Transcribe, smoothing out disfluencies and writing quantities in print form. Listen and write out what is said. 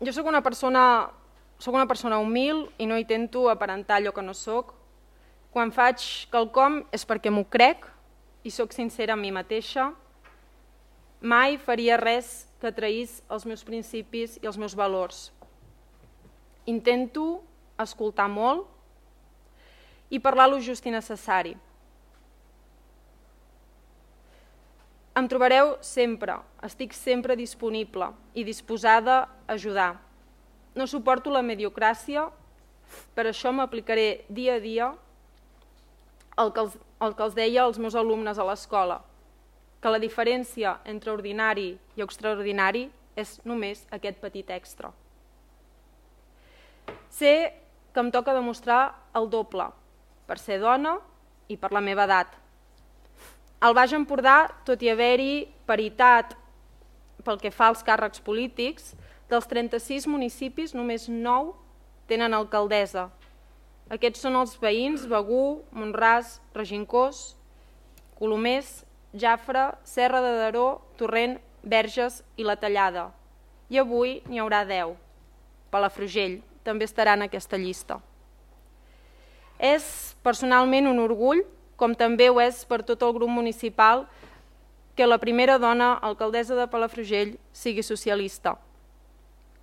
Jo soc una persona humil i no intento aparentar allò que no soc. Quan faig quelcom és perquè m'ho crec i soc sincera amb mi mateixa. Mai faria res que traís els meus principis i els meus valors. Intento escoltar molt i parlar lo just i necessari. Em trobareu sempre, estic sempre disponible i disposada a ajudar. No suporto la mediocràcia, per això m'aplicaré dia a dia el que els deia als meus alumnes a l'escola, que la diferència entre ordinari i extraordinari és només aquest petit extra. Sé que em toca demostrar el doble, per ser dona i per la meva edat. Al Baix Empordà, tot i haver-hi paritat pel que fa als càrrecs polítics, dels 36 municipis només 9 tenen alcaldessa. Aquests són els veïns Begur, Mont-ras, Regencós, Colomers, Jafre, Serra de Daró, Torrent, Verges i La Tallada. I avui n'hi haurà 10. Palafrugell també estarà en aquesta llista. És personalment un orgull, com també ho és per tot el grup municipal, que la primera dona alcaldessa de Palafrugell sigui socialista.